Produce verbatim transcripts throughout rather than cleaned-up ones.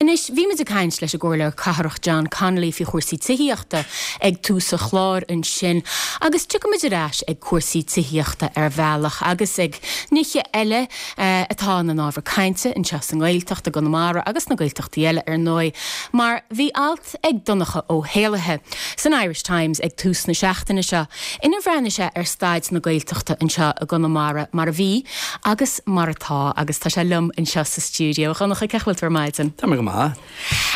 Anois, bhí muid ag caint leis an gComhairleoir Cathrach John Connolly faoi chúrsaí tithíochta ag tús an chláir ansin, agus tiocfaimid ar ais ag cúrsaí tithíochta ar bhealach agus ag nithe eile eh, atá ina n-ábhar cainte anseo sa nGaeltacht i gConamara agus na Gaeltachtaí eile ar ndóigh, mar bhí alt ag Donncha Ó hÉallaithe san Irish Times ag tús na seachtaine seo ina bhreathnaigh sé ar staid na Gaeltachta anseo i gConamara mar a bhí agus mar atá agus tá sé liom anseo sa stiúideo. Donncha cén chaoi a bhfuil tú ar maidin. Tá mé go maith.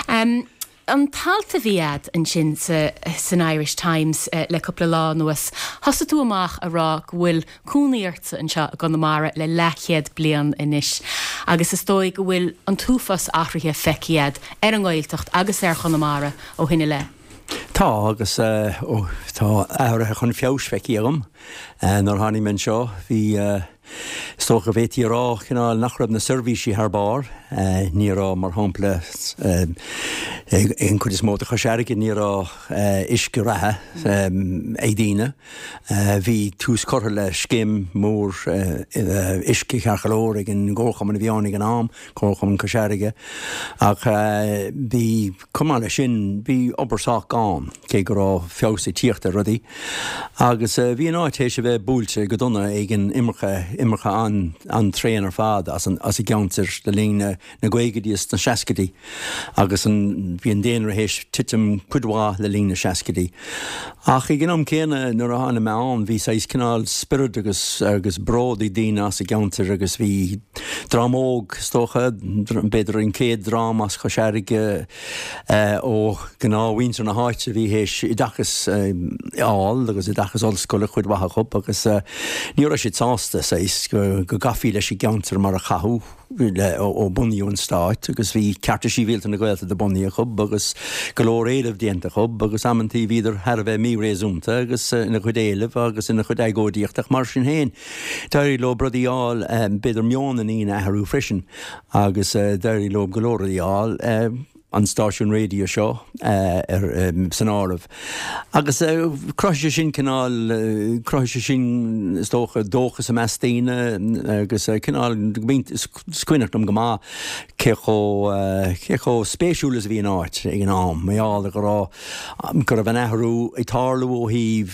Um, an t-alt a bhí agat ansin sa, san Irish Times uh, le cúpla lá anuas. Thosaigh tú amach ag rá go bhfuil cónaí ortsa anseo i gConamara le leathchéad bliain anois. Agus is dóigh go bhfuil an t-uafás athruithe feicthe agat ar an nGaeltacht agus ar Chonamara ó shin i leith. Tá agus uh, ó, tá athruithe chun feabhais feicthe agam. Uh, nuair a tháinig mé anseo bhí uh, is dócha go bhféadfaí a rá cineál nach raibh na seirbhísí thar barr, uh, ní raibh mar shampla uh, an chuid is mó de Chois Fharraige ní raibh uh, uisce reatha um, ag daoine. Uh, bhí tús curtha le scéim mór uh, uh, uisce ceart go leor ag an gComharchumann a bhí ann ag an am, Comharchumann Cois Fharraige ach uh, bhí cumá leis sin bhí obair sách gann cé go raibh feabhas ag tíocht ar rudaí. Agus uh, bhí an áit théis a bheith buailte go dona ag an imirce imirce an an tréan ar fad as an as an gceantar le linn na na gcaogaidí is na seascaidí agus an bhí an daonra théis titim cuid mhaith le linn na seascaidí. Ach ag an am céanna nuair a tháinig mé ann bhí saghas cineál spiorad agus agus bród ag daoine as an gceantar agus bhí dream óg is dócha b'fhéidir an chéad dream as Cois Fharraige ó ghnáthmhuintir na háite bhí théis oideachas fháil agus oideachas ollscoile chuid mhaith acu agus ní raibh siad sásta saghas go go gcaithfí leis an gceantar mar a caitheadh ó bunaíodh an stát agus bhí cearta sibhialta na Gaeltachta bunaithe acu agus go leor éileamh déanta acu agus amanntaí bhíodar thar a bheith míréasúnta agus ina gcuid éileamh agus ina gcuid agóidíochta mar sin féin. D'éirigh leo rudaí a fháil b'fhéidir meon na ndaoine a athrú freisin agus d'éirigh leo go leor rudaí a fháil an stáisiún raidió seo ar san áireamh. Agus chruthaigh sé sin cineál chruthaigh sé sin is dócha dóchas i measc daoine agus cineál is cuimhneach liom go maith cé chomh cé chomh spéisiúil is a bhí an áit ag an am, mar gheall go raibh go raibh an athrú ag tarlú ó thaobh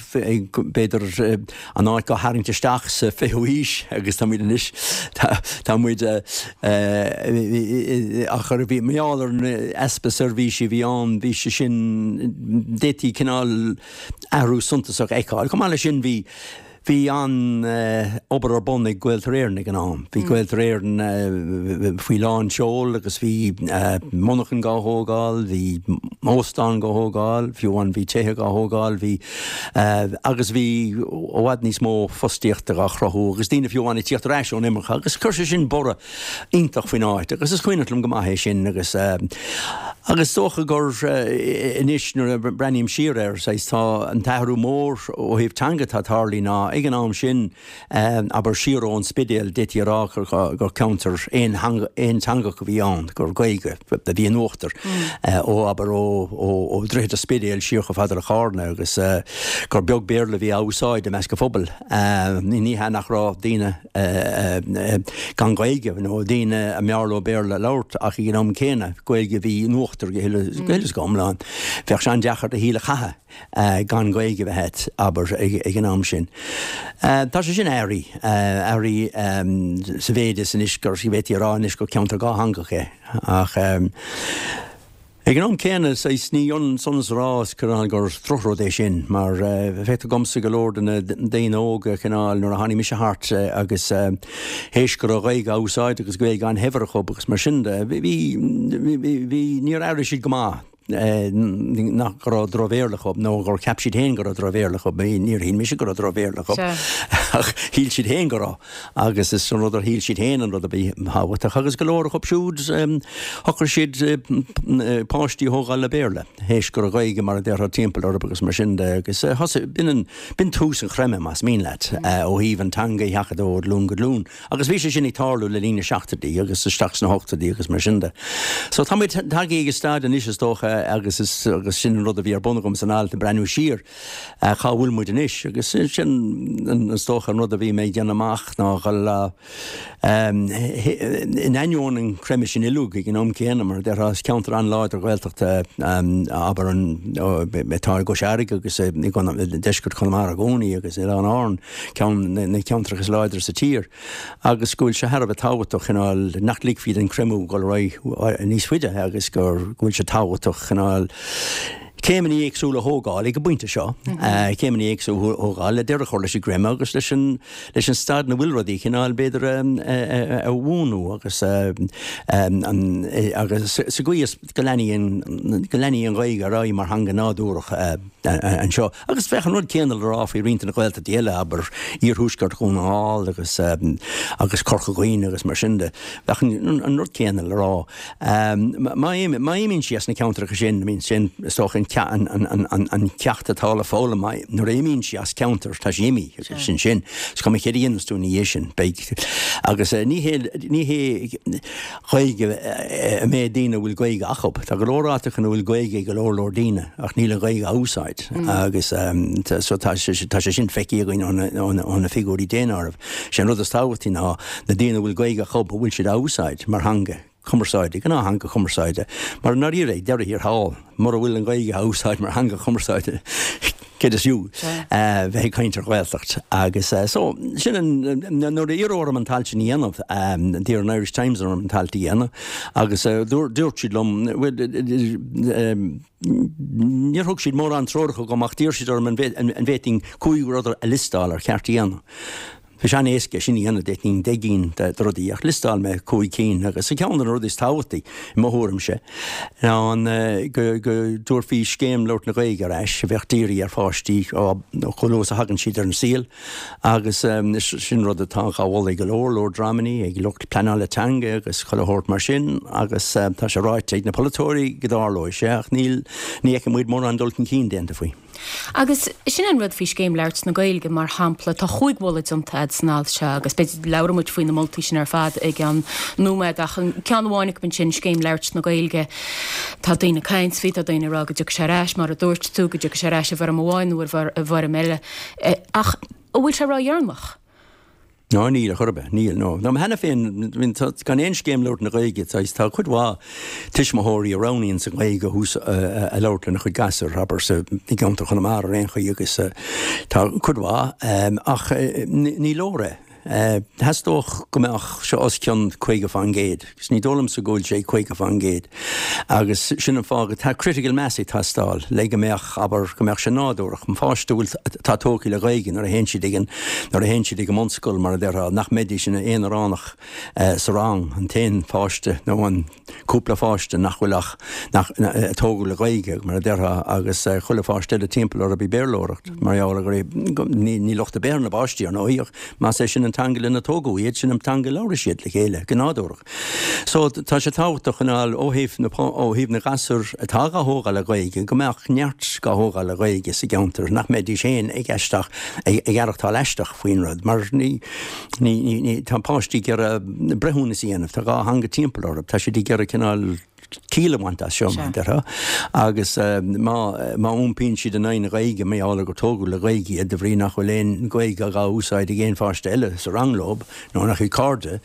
b'fhéidir an áit á tharraingt isteach sa fichiú haois agus tá muid anois tá muid ach ar bhí mar gheall ar easpa seirbhísí bhí ann bhí sé sin d'fhéadfaí cineál athrú suntasach a fheiceáil. Chomh maith leis sin bhí bhí an obair ar bun ag Gaeltarra Éireann ag an am. Bhí Gaeltarra Éireann faoi lán seol agus bhí monarchan á thógáil, bhí óstán á thógáil, fiú amháin bhí tithe á thógáil, bhí agus bhí i bhfad níos mó fostaíochta á chruthú agus daoine fiú amháin ag tíocht ar ais ón imirce agus chuir sé sin borradh iontach faoin áit agus is cuimhneach liom go maith é sin agus agus dócha gur anois nuair a breathnaím siar air saghas tá an t-athrú mór ó thaobh teanga atá tarlaithe ná ag an am sin abair siar ón Spidéal d'fhéadfaí a rá gur ceantar aonteangach a bhí ann gur Gaeilge a bhí in uachtar ó abair ó ó Droichead an Spidéil siar chomh fada le Carna agus gur beag Béarla a bhí á úsáid i measc an phobail. Ní hea nach raibh daoine gan Ghaeilge nó daoine a mb'fhearr leo Béarla a labhairt ach ag an am céanna Gaeilge a bhí in uachtar go huile is go hiomlán. Bheadh sé an-deacair do shaol a chaitheamh gan Ghaeilge a bheith abair ag an am sin. Tá sé sin athraithe athraithe sa mhéid is anois gur d'fhéadfaí a rá anois gur ceantar dátheangach é ach ag an am céanna saghas ní ionann san is a rá is gur gur drochrud é sin mar feictear domsa go leor de na daoine óga cineál nuair a tháinig mise thart agus théis go raibh Gaeilge á úsáid agus Gaeilge an-shaibhir acu agus mar sin de bhí bhí níor airigh siad go maith nach go raibh drochbhéarla acu nó gur cheap siad féin go raibh drochbhéarla acu níor shíl mise go raibh drochbhéarla acu ach shíl siad féin go raibh agus is an rud ar shíl siad féin an rud a bhí tábhachtach agus go leor acu siúd shocraigh siad páistí a thógáil le Béarla théis go raibh Gaeilge mar a déarfá timpeall orthu agus mar sin de agus thosaigh b'in an b'in tús an chreimthe más mian leat ó thaobh an teanga a sheachadadh ó ghlúin go glúin agus bhí sé sin ag tarlú le linn na seachtóidí agus isteach sna hochtóidí agus mar sin de. So tá muid tagtha ag staid anois is dócha agus is agus sin an rud a bhí ar bun agam san alt ag breathnú siar cá bhfuil muid anois agus sin is dócha an rud a bhí mé ag déanamh amach ná dhul in ainneoin an chreimeadh sin uilig ag an am céanna mar a déarfá is ceantar an-láidir Gaeltachta abair an atá i gCois Fharraige agus i deisceart Chonamara i gcónaí agus Oileáin Árann ceann na ceantracha is láidre sa tír agus go bhfuil sé thar a bheith tábhachtach cineál nach ligfí don chreimeadh dul ar aghaidh níos faide agus go bhfuil sé tábhachtach cineál céimeanna éagsúla a thógáil ag an bpointe seo, céimeanna éagsúla a thógáil le deireadh a chur leis an gcreimeadh agus leis an leis an staid ina bhfuil rudaí cineál b'fhéidir a bhuanú agus agus sa gcaoi is go leanfaidh an go leanfaidh an Ghaeilge ar aghaidh mar theanga nádúrach anseo. Agus bheadh an rud céanna le rá faoi roinnt de na Gaeltachtaí eile, abair, iarthuaisceart Dhún na nGall agus agus Corca Dhuibhne agus mar sin de. Bheadh an rud céanna le rá. Má imíonn sí as na ceantracha sin, I mean, sin is dócha an ceacht atá le foghlaim, nuair a imíonn sí as ceantar, tá sí imithe, sin sin. Is cuma céard a dhéanas tú ina dhiaidh sin, beidh. Agus ní hé ní hé Gaeilge a mbeidh daoine a bhfuil Gaeilge acu. Tá go leor áiteacha ina bhfuil Gaeilge ag go leor leor daoine ach níl an Ghaeilge á úsáid agus so tá tá sé sin feicthe againn ó na figiúirí daonáirimh. Sé an rud is tábhachtaí ná na daoine a bhfuil Gaeilge acu a bhfuil siad á úsáid mar theanga chumarsáide, gnáth-theanga chumarsáide. Mar i ndáiríre, ag deireadh thiar thall, mura bhfuil an Ghaeilge á úsáid mar theanga chumarsáide, céard is fiú bheith ag caint ar Ghaeltacht? Agus so, sin an, nuair a iarradh orm an t-alt sin a dhéanamh, d'iarr an Irish Times orm an t-alt a dhéanamh agus dúirt siad liom, bhuel, níor thug siad mórán treoracha dom ach d'iarr siad orm an bhféadfainn cúig rud a liostáil ar cheart a dhéanamh. Bhí sé an-éasca é sin a dhéanamh, d'fhéadfainn deich gcinn de rudaí, ach liostáil mé cúig cinn agus ceann de na rudaí is tábhachtaí, i mo thuairimse, ná an go dtabharfaí scéim labhairt na Gaeilge ar ais a bheadh dírithe ar pháistí ó chomh luath is a thagann siad ar an saol agus sin rud atá á mholadh ag go leor leor dreamanna, ag lucht pleanála teanga agus chuile shórt mar sin agus tá sé ráite ag na polaiteoirí go dtarlóidh sé ach níl, ní fheiceann muid mórán dul chun cinn déanta faoi. Agus sin an rud faoi Scéim Labhairt na Gaeilge, mar shampla, tá chúig mholadh déanta a'd san alt seo agus b'fhéidir labhróidh muid faoi na moltaí sin ar fad i gceann nóiméad ach an ceann amháin acu ansin, Scéim Labhairt na Gaeilge, tá daoine ag caint faoi, tá daoine ag rá go dtiocfaidh sé ar ais, mar a dúirt tú, go dtiocfaidh sé ar ais i bhfoirm amháin nó i bhfoirm eile. Ach an bhfuil sé ródheireanach? Ná níl, a chor ar bith, níl, no. Nó cheana féin, tá, gan aon scéim labhairt na Gaeilge, tá, tá cuid mhaith tuismitheoirí a roghnaíonns an Ghaeilge a hús, a labhairt lena chuid gasúr, abair, sa, i gceantar Chonamara ar aon chaoi agus tá cuid mhaith, ach ní leor é. Theastódh go mbeadh sé os cionn caoga faoin gcéad, agus ní dóigh liomsa go bhfuil sé caoga faoin gcéad. Agus sin an fáth go, tá critical mass ag teastáil le go mbeadh, abair, go mbeadh sé nádúrach, an pháiste a bhfuil, atá tógtha le Gaeilge nuair a théann siad ag an, nuair a théann siad ag an mbunscoil mar a déarfá, nach mbeidís ina aonaránach sa rang, an t-aon pháiste nó an cúpla pháiste nach bhfuil ach, nach, a tógadh le Gaeilge mar a déarfá agus chuile pháiste eile timpeall orthu ag Béarlóireacht mar gheall ar gur, ní, ní locht ar bith ar na páistí ar ndóigh ach más é sin an teanga lena tógadh iad, sin an teanga a labhraíonn siad le chéile go nádúrach. So tá sé tábhachtach cineál ó thaobh na, ó thaobh na gasúr atá dhá thógáil le Gaeilge go mbeadh neart dhá thógáil le Gaeilge sa gceantar, nach mbeidís féin ag aisteach, ag, ag aireachtáil aisteach faoin rud mar ní, ní, ní, ní, tá páistí ag iarraidh breithiúnas a dhéanamh, tá dhá theanga timpeall orthu, tá siad ag iarraidh cineál ciall a bhaint as seo, mar a déarfá, agus má, má iompaíonn siad in aghaidh na Gaeilge mar gheall ar gur tógadh le Gaeilge iad de bhrí nach bhfuil aon Ghaeilge dhá úsáid ag aon pháiste eile sa rang leo nó ina gcuid cairde,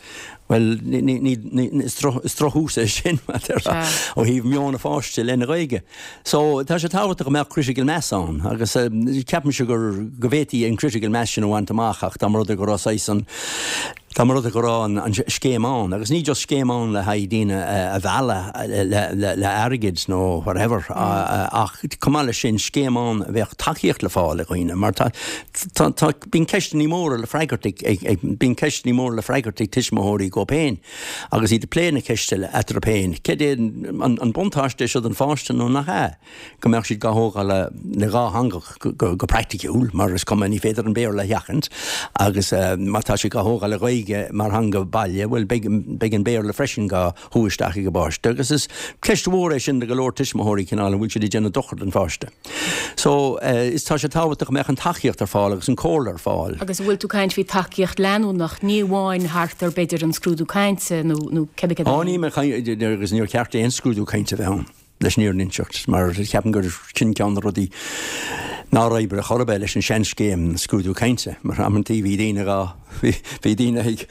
bhuel, ní, ní, ní, ní, is droch, is drochthús é sin, mar a déarfá, ó thaobh meon an pháiste i leith na Gaeilge. So, tá sé tábhachtach go mbeadh critical mass ann agus ceapaimse gur, go bhféadfaí an critical mass sin a bhaint amach ach dá mba rud é go raibh saghas an, dá mba rud é go raibh an, an scéim ann agus ní just scéim ann le haghaidh daoine a mhealladh le, le, le airgead nó whatever ach chomh maith leis sin scéim ann a bheadh tacaíocht le fáil ag dhaoine mar tá, tá, tá, bíonn ceisteanna móra le freagairt ag, ag, ag, bíonn ceisteanna móra le freagairt ag tuismitheoirí dhóibh féin agus iad ag plé na ceiste eatarthu féin. Céard é an, an buntáiste é seo don pháiste nó nach ea? Go mbeadh siad dhá thógáil le, le dhá theanga go, go praiticiúil mar is cuma ní féidir an Béarla a sheachaint agus má tá siad dhá thógáil le Gaeilge mar theanga baile, bhuel beidh, beidh an Béarla freisin dhá shú isteach ag an bpáiste agus is ceist mhór é sin do go leor tuismitheoirí cineál an bhfuil siad ag déanamh dochar don pháiste. So is tá sé tábhachtach go mbeadh an tacaíocht ar fáil agus an comhairle ar fáil. Agus an bhfuil tú ag caint faoi tacaíocht leanúnach, ní amháin thart ar b'fhéidir an scrúdú cainte nó nó cibé cad é. Á níl mé ag caint agus níor cheart aon scrúdú cainte a bheith ann. leis an fhírinne a inseacht, mar ceapaim gur sin ceann de na rudaí nár oibrigh chor ar bith leis an seanscéim scrúdú cainte, mar amantaí bhí daoine dhá, bhí daoine ag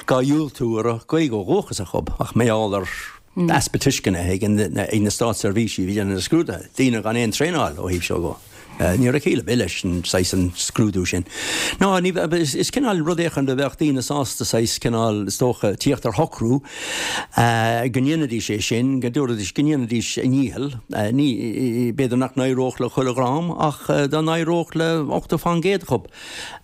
dhá dhiúltú a raibh Gaeilge ó dhúchas acu ach mar gheall ar easpa tuisceana ag na státseirbhísigh a bhí ag déanamh na scrúduithe, daoine gan aon traenáil ó thaobh seo dhó. Ní raibh ciall ar bith leis an saghas an scrúdú sin. Ná ní, is cineál rud éicint a bheadh daoine sásta saghas cineál, is dócha, tíocht ar shocrú go ndéanfaidís é sin, go dtabharfaidís, go ndéanfaidís a ndícheall. Ní, b'fhéidir nach n-éireodh le chuile dhream ach dá n-éireodh le ochtó fán gcéad acu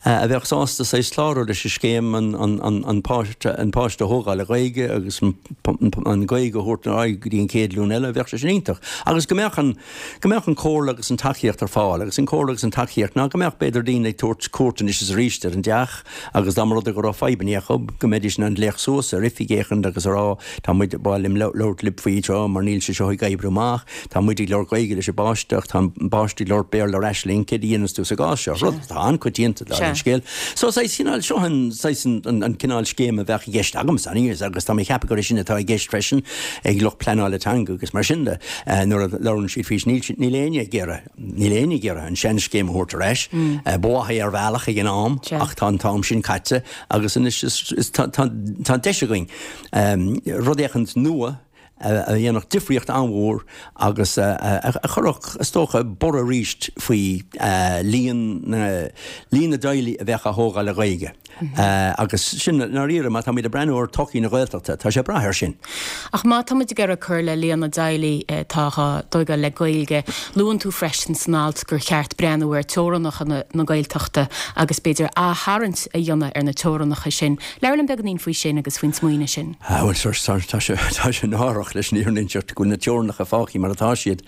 a bheadh sásta saghas clárú leis an scéim an, an, an, an páiste, an páiste a thógáil le Gaeilge agus an, an Ghaeilge a thabhairt ar aghaidh go dtí an chéad ghlúin eile, bheadh sé sin iontach. Agus go mbeadh an, go mbeadh an comhairle agus an tacaíocht ar fáil agus an comhairle agus an tacaíocht ná go mbeadh b'fhéidir daoine ag tabhairt cuairt anois is arís ar an dteach agus dá mba rud é go raibh fadhbanna acu go mbeidís in ann glaoch suas ar oifig éicint agus a rá tá muid ba mhaith liom labhairt libh faoi seo mar níl sé seo ag oibriú amach, tá muid ag labhairt Gaeilge leis an bpáiste ach tá an páiste ag labhairt Béarla ar ais linn, céard a dhéanas tú sa gcás seo? Rud atá an-choitianta dar an scéal. So saghas cineál seo an saghas an cineál scéim a bheadh i gceist agamsa agus tá mé ag ceapadh gur é sin atá i gceist freisin ag lucht pleanála teanga agus mar sin de nuair a labhrann siad faoi níl níl éinne ag iarraidh níl éinne ag iarraidh an seanscéim a thabhairt ar ais. Ba mhaith é ar bhealach ag an am ach tá an t-am sin caite agus anois is tá tá deis againn rud éicint nua a dhéanfadh difríocht an-mhór agus a chuirfeadh, is dócha, borradh arís faoi líon na líon na dteaghlaigh a bheadh á thógáil le Gaeilge. Agus sin, i ndáiríre, má táimid ag breathnú ar todhchaí na Gaeltachta, tá sé ag brath air sin. Ach má táimid ag iarraidh cur le líon na dteaghlaigh atá á dtógáil le Gaeilge, luann tú freisin san alt gur cheart breathnú ar teorainneacha na Gaeltachta agus b'fhéidir aththarraingt a dhéanamh ar na teorainneacha sin. Labhair linn beagáinín faoi sin agus faoin smaoineamh sin. Bhuel, tá sé tá sé náireach leis an fhírinne a inseacht go bhfuil na teorainneacha fágtha mar atá siad.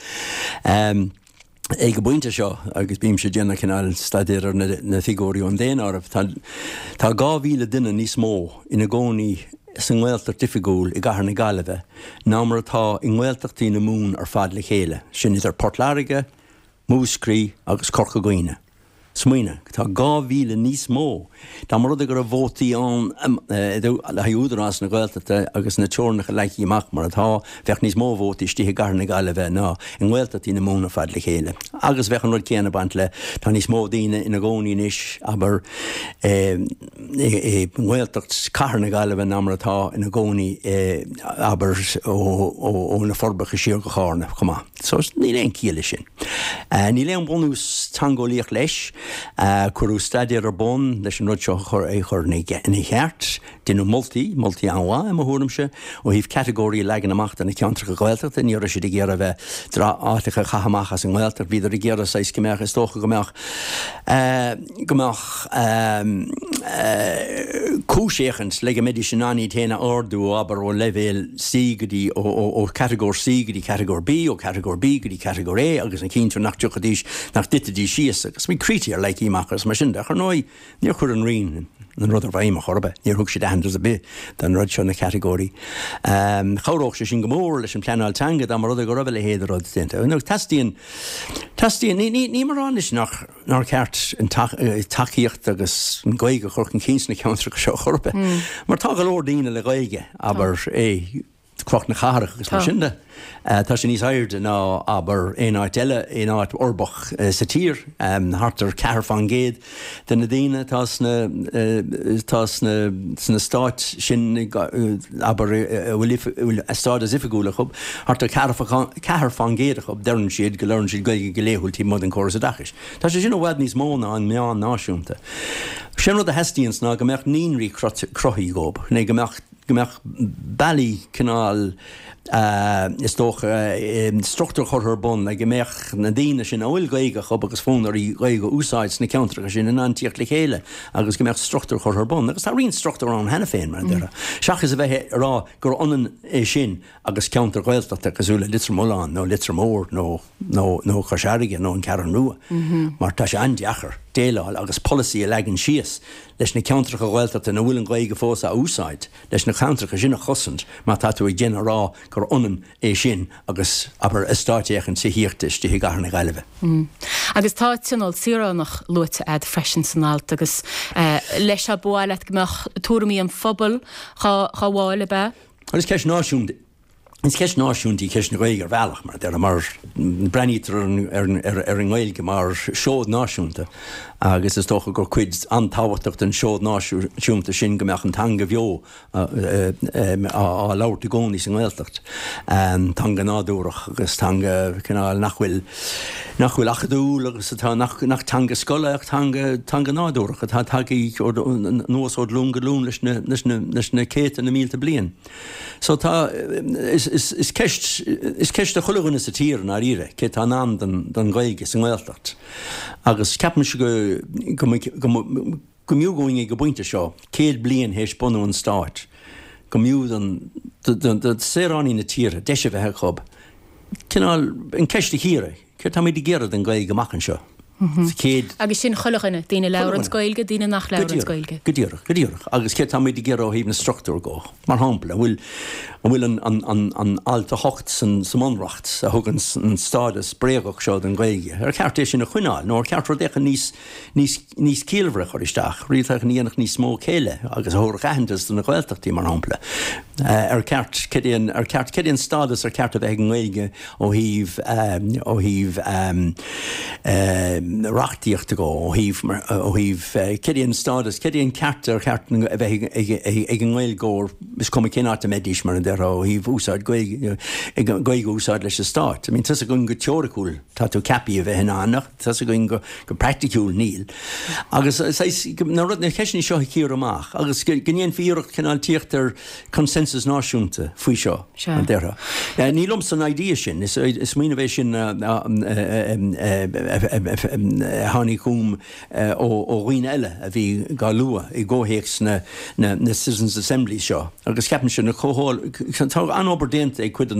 Ag an bpointe seo, agus bímse ag déanamh cineál staidéir ar na figiúirí ón daonáireamh, tá tá dhá mhíle duine níos mó ina gcónaí sa nGaeltacht oifigiúil i gcathair na Gaillimhe ná mar atá i nGaeltachtaí na Mumhan ar fad le chéile, sin idir Port Láirge, Múscraí agus Corca Dhuibhne. Smaoinigh, tá dhá mhíle níos mó. Dá mba rud é go raibh vótaí ann le haghaidh Údarás na Gaeltachta agus na teorainneacha leagtha amach mar atá, bheadh níos mó vótaí istigh i gcathair na Gaillimhe ná i nGaeltachtaí na Mumhan ar fad le chéile. Agus bheadh an rud céanna ag baint le, tá níos mó daoine ina gcónaí anois, abair, i nGaeltacht chathair na Gaillimhe ná mar atá ina gcónaí, abair, ó na Forbacha siar go Carna chomh maith. So níl aon chiall leis sin. Níl aon bhunús teangeolaíoch leis. Cuireadh staidéar ar bun leis an rud seo a chur é chur ina cheart. Deineadh moltaí, moltaí an-mhaith i mo thuairimse, ó thaobh catagóirí a leagan amach do na ceantracha Gaeltachta. Ní raibh siad ag iarraidh a bheith áiteacha a chaitheamh amach as an nGaeltacht. Bhíodar ag iarraidh saghas go mbeadh, is dócha go mbeadh, go mbeadh cúis éicint le go mbeidís in ann iad féin a ardú, abair, ó leibhéal C go dtí, ó chatagóir C go dtí catagóir B, ó chatagóir B go dtí catagóir A agus a chinntiú nach dtiocfaidís, nach dtitfidís síos agus bhí critéir leagtha amach agus mar sin de. Ach ar ndóigh, níor chuir an Roinn an rud i bhfeidhm ar chor ar bith. Níor thug siad aitheantas ar bith don rud seo, na catagóirí. Chabhródh sé sin go mór leis an bpleanáil teanga dá mba rud é go raibh a leithéid de rud déanta. Teastaíonn, teastaíonn, ní, ní, nílim ag rá anois nach, nár cheart an tacaíocht agus an Ghaeilge a chur chun cinn sna ceantracha seo chor ar bith. Mar tá go leor daoine le Gaeilge, abair, i Cnoc na Cathrach agus mar sin de. Tá sé níos airde ná, abair, aon áit eile, aon áit uirbeach sa tír. Thart ar ceathair fán gcéad de na daoine atá sna, atá sna, sna stáit sin, abair, a bhfuil a stádas oifigiúil acu, thart ar ceathair fán gcéad acu, deireann siad go labhrann siad Gaeilge go laethúil taobh amuigh den chóras oideachais. Tá sé sin i bhfad níos mó ná an meán náisiúnta. Sé an rud a theastaíonns ná go mbeadh naíonraí cruthaithe dhób, nó go mbeadh, go mbeadh bealaí cineál, is dócha, struchtúr curtha ar bun le go mbeadh na daoine sin a bhfuil Gaeilge acu agus fonn orthu Gaeilge a úsáid sna ceantracha sin in ann tíocht le chéile agus go mbeadh struchtúr curtha ar bun. Agus tá roinnt struchtúr ann cheana féin, mar a déarfá. Seachas a bheith ag rá gur ionann é sin agus ceantar Gaeltachta cosúil le Leitir Mealláin nó Leitir Móir nó nó nó Cois Fharraige nó an Cheathrú Rua mar tá sé an-deacair déileáil agus polasaí a leagan síos leis na ceantracha Gaeltachta ina bhfuil an Ghaeilge fós á úsáid, leis na ceantracha sin a chosaint má tá tú ag déanamh a rá gur ionann é sin agus, abair, eastát éicint tithíochta istigh i gcathair na Gaillimhe. Agus tá Tionól Saoránach luaite a'd freisin san alt agus leis seo ba mhaith leat go mbeadh tuairimí an phobail dhá bhfáil, ab ea? Agus ceist náisiúnta Is ceist náisiúnta í ceist na Gaeilge ar bhealach mar deir mar breathnaítear ar, ar, ar an nGaeilge mar seod náisiúnta agus is dócha gur cuid an-tábhachtach den seod náisiúnta sin go mbeadh an teanga bheo á labhairt i gcónaí sa nGaeltacht. Teanga nádúrach agus teanga cineál nach bhfuil nach bhfuil acadúil agus atá nach, nach teanga scoile ach teanga, teanga nádúrach atá tagtha anuas ó ghlúin go glúin leis na, leis na, leis na céadta na mílte bliain. So tá is, is, is ceist is ceist do chuile dhuine sa tír i ndáiríre cé tá in ann don, don Ghaeilge sa nGaeltacht. Agus ceapaimse go go go go mb'fhiú dúinn ag an bpointe seo, céad bliain théis bunú an stáit, go mb'fhiú don do saoránaigh na tíre deis a bheith acu cineál an ceist a chíoradh, céard táimid ag iarraidh don Ghaeilge amach anseo. Sa chéad. Agus sin chuile dhuine, daoine a labhranns Gaeilge, daoine nach labhranns Gaeilge. Go díreach, go díreach. Agus céard táimid ag iarraidh ó thaobh na struchtúr go? Mar shampla, an bhfuil, an bhfuil an, an, an, an alt a hocht san, sa mBunreacht a thugann an stádas bréagach seo don Ghaeilge, ar cheart é sin a choinneáil nó ar cheart rud éicint níos, níos, níos ciallmhaire a chur isteach, rud éicint a dhéanfadh níos mó céille agus a thabharfadh aitheantas do na Gaeltachtaí, mar shampla. Ar ceart, cad é an, ar ceart, cad é an stádas ar ceart a bheith ag an nGaeilge ó thaobh, ó thaobh, reachtaíochta go, ó thaobh, ó thaobh cad é an stádas, cad é an ceart ar cheart a bheith ag an nGaeilgeoir, is cuma cén áit a mbeidís, mar a déarfá, ó thaobh úsáid Gaeilge, Gaeilge a úsáid leis an stát. I mean, tá's againn go teoiriciúil tá tú ceaptha a bheith in ann ach tá's againn go, go praiticiúil níl. Agus saghas, na rud, na ceisteanna seo a chíoradh amach agus go, go ndéanfaí iarracht cineál tíocht ar consensus náisiúnta faoi seo, mar a déarfá. Ní liomsa an idea sin, is smaoineamh é sin a tháinig chugam ó dhaoine eile a bhí dhá lua i gcomhthéacs na Citizens' Assemblies seo agus ceapaimse na tá an-obair déanta ag cuid de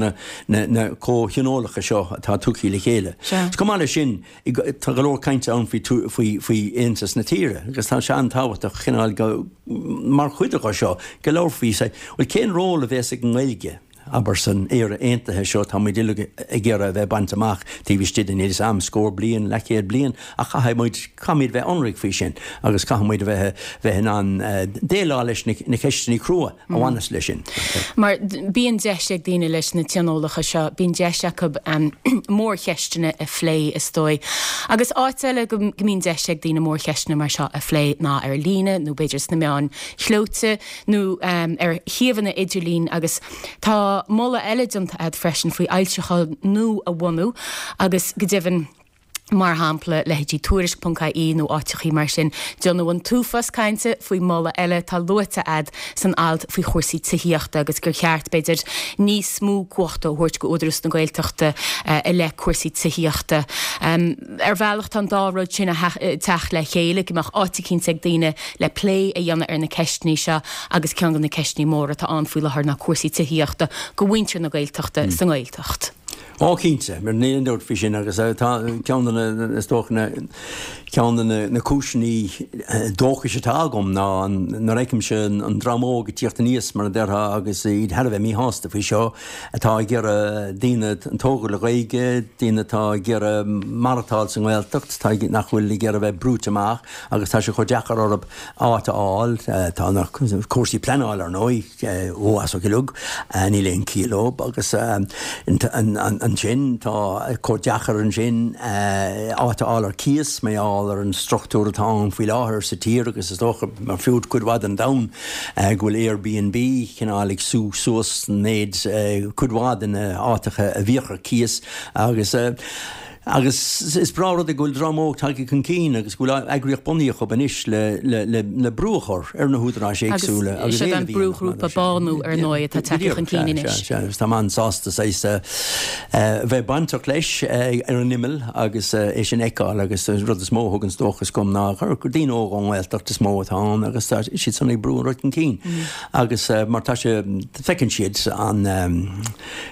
na comhthionólacha seo atá tugtha le chéile. Chomh maith leis sin, tá go leor cainte ann faoi faoi aontas na tíre agus tá sé an-tábhachtach cineál go mar chuid de seo go labharfaí bhuel cén ról a bheas ag an nGaeilge? Abair san Éire Aontaithe seo tá muid uilig ag iarraidh a bheith bainte amach taobh istigh de níl 'fhios a'm scór bliain, leathchéad bliain ach caithfidh muid, caithfimid bheith ionraic faoi sin agus caithfidh muid a bheith, bheith in ann déileáil leis na, na ceisteanna crua a bhaineas leis sin. Mar bíonn deis ag daoine leis na tionólacha seo, bíonn deis acu mórcheisteanna a phlé is dóigh. Agus áit eile go mbíonn deis ag daoine mórcheisteanna mar seo a phlé ná ar líne nó b'fhéidir sna meáin chlóite nó ar shuíomhanna idirlín agus tá moladh eile déanta agat freisin faoi fhoilseachán nua a bhunú agus go deimhin, mar shampla, leithéidí Tuairisc ponc ie nó áiteachaí mar sin. Déanadh an t-uafás cainte faoi mholadh eile atá luaite agat san alt faoi chúrsaí tithíochta agus gur cheart, b'fhéidir, níos mó cumhachta a thabhairt go Údarás na Gaeltachta i leith cúrsaí tithíochta. Ar bhealach tá an dá rud sin ag teacht le chéile, go mbeadh áit eicínt ag daoine le plé a dhéanamh ar na ceisteanna seo agus ceann de na ceisteanna móra atá ann faoi láthair ná cúrsaí tithíochta go mhuintir na Gaeltachta sa nGaeltacht. Ó cinnte, mar níl aon dabht faoi sin agus tá ceann de na, is dócha na, ceann de na, na cúiseanna dóchais atá agam ná nuair a fheicimse an dream óg ag tíocht aníos mar a déarfá agus iad thar a bheith míshásta faoi seo, atá ag iarraidh daoine a tógadh le Gaeilge, daoine atá ag iarraidh maireachtáil sa nGaeltacht, atá nach bhfuil ag iarraidh a bheith brúite amach agus tá sé chomh deacair orthu áit a fháil. Tá na cúrsaí pleanála, ar ndóigh, ó as uilig, níl aon chiall leo agus ansin tá chomh deacair ansin áit a fháil ar cíos mar gheall ar an struchtúr atá ann faoi láthair sa tír agus is dócha ar fud cuid mhaith den domhan go bhfuil Airbnb cineál ag sú suas méid cuid mhaith de na háiteacha a bhíodh ar cíos agus Agus is breá an rud é go bhfuil dream óg tagtha chun cinn agus go bhfuil eagraíocht bunaithe acu anois le brú a chur ar na húdaráis éagsúla agus éileamh a dhéanamh. Agus siad an brúghrúpa Bánú ar ndóigh atá tagtha chun cinn anois. Sea, sea, agus táim an-sásta saghas a bheith bainteach leis ar an imeall agus é sin a fheiceáil agus an rud is mó a thuganns dóchas dom ná gur daoine óga ón nGaeltacht is mó atá ann agus tá siad san ag brú an rud chun cinn agus mar tá sé, feiceann siad an,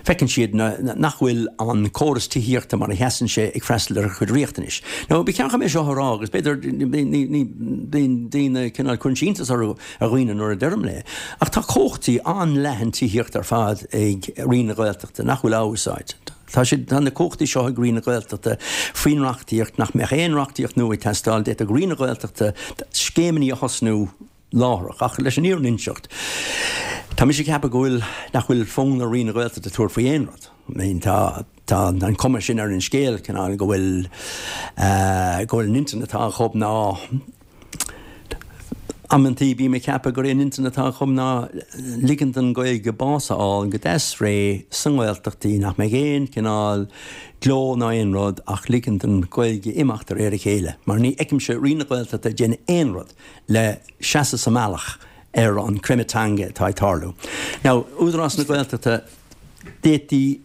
Feiceann siad nach bhfuil an córas tithíochta mar a sheasann sé ag freastal ar a gcuid riachtanais. Now, ba cheart dom é seo a rá agus b'fhéidir bíonn daoine cineál cuireann sé iontas ar dhaoine nuair a deirim é, ach tá cumhachtaí an-leathan tithíochta ar fad ag Roinn na Gaeltachta nach bhfuil á úsáid. Tá siad, tá na cumhachtaí seo ag Roinn na Gaeltachta faoin reachtaíocht nach mbeadh aon reachtaíocht nua ag teastáil, d'fhéadfadh Roinn na Gaeltachta scéimeanna a thosnú, láithreach, ach leis an fhírinne a inseacht, Tá mise ag ceapadh go bhfuil, nach bhfuil fonn ar Roinn na Gaeltachta tabhairt faoi aon rud. I mean tá, tá an cuma sin ar an scéal, cineál go bhfuil, go bhfuil an intinn atá acu ná, amantaí bím ag ceapadh gur é an intinn atá acu ná ligint don Ghaeilge bás a fháil go deas réidh sa nGaeltachtaí, nach mbeidh aon chineál gleo ná aon rud ach ligint don Ghaeilge imeacht de réir a chéile. Mar ní fheicimse Roinn na Gaeltachta ag déanamh aon rud le seasamh sa mbealach ar an creimeadh teanga atá ag tarlú. Now, Údarás na Gaeltachta, d'fhéadfaí,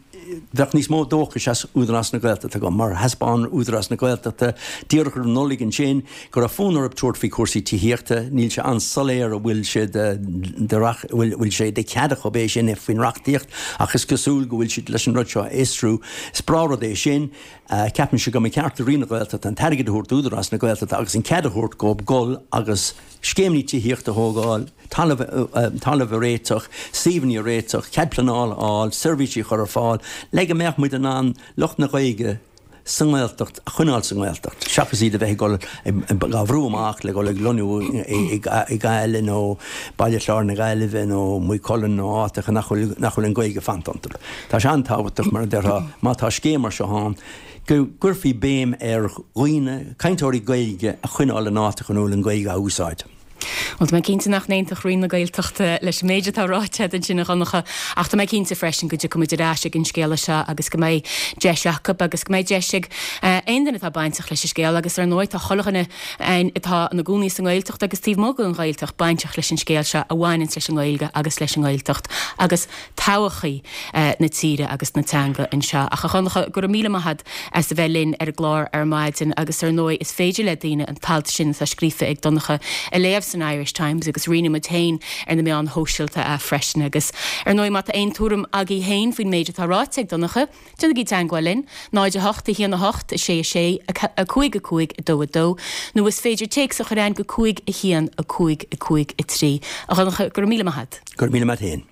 bheadh níos mó dóchais as Údarás na Gaeltachta agam, mar thaispeáin Údarás na Gaeltachta díreach roimh Nollaig ansin go raibh fonn orthu tabhairt faoi chúrsaí tithíochta. Níl sé an-soiléir an bhfuil sé de, de, bhfuil, bhfuil sé de chead acu é sin faoin reachtaíocht ach is cosúil go bhfuil siad leis an rud seo a fhiosrú. Is breá rud é sin. Ceapaimse go mba cheart do Roinn na Gaeltachta an t-airgead a thabhairt d'Údarás na Gaeltachta agus an cead a thabhairt dóibh dul agus scéimeanna tithíochta a thógáil, talamh a réiteach, suíomhanna a réiteach, cead pleanála a fháil, seirbhísí a chur ar fáil le go mbeadh muid in ann lucht na Gaeilge sa nGaeltacht a choinneáil sa nGaeltacht, seachas iad a bheith ag dul á bhrú amach le dul ag lonnú i Gaillimh nó Baile Chláir na Gaillimhe nó Maigh Cuilinn nó áiteacha nach bhfuil an Ghaeilge ag fanacht iontu. Tá sé an-tábhachtach, mar a déarfá, má tá scéim mar seo ann, go gcuirfí béim ar dhaoine, cainteoirí Gaeilge a choinneáil in áiteacha ina bhfuil an Ghaeilge á úsáid. Bhuel, tá mé cinnte nach n-aontódh Roinn na Gaeltachta leis an méid atá ráite agat ansin, a Dhonncha, ach tá mé cinnte freisin go dtiocfaidh muid ar ais ag an scéala seo agus go mbeidh deis acu agus go mbeidh deis ag aon duine atá bainteach leis an scéal agus ar ndóigh tá chuile dhuine atá ina gcónaí sa nGaeltacht agus taobh amuigh den Ghaeltacht bainteach leis an scéal seo a bhaineanns leis an nGaeilge agus leis an nGaeltacht agus todhchaí na tíre agus na teanga anseo. Ach a Dhonncha, go raibh míle maith agat as a bheith linn ar an gclár ar maidin agus ar ndóigh is féidir le daoine an t-alt sin atá scríofa ag Donncha a léamh san Irish Times agus roinnfidh muid féin ar na meáin shóisialta é freisin agus ar ndóigh má tá aon tuairim agaibh féin faoin méid atá ráite ag Donncha, déanaigí teagmháil linn, náid a hocht, a haon a hocht, a sé a sé, a cúig a cúig, a dó a dó, nó is féidir téacs a chur chugainn go cúig a haon, a cúig a cúig a trí. A Dhonncha, go raibh míle maith agat. Go raibh míle maith agat féin.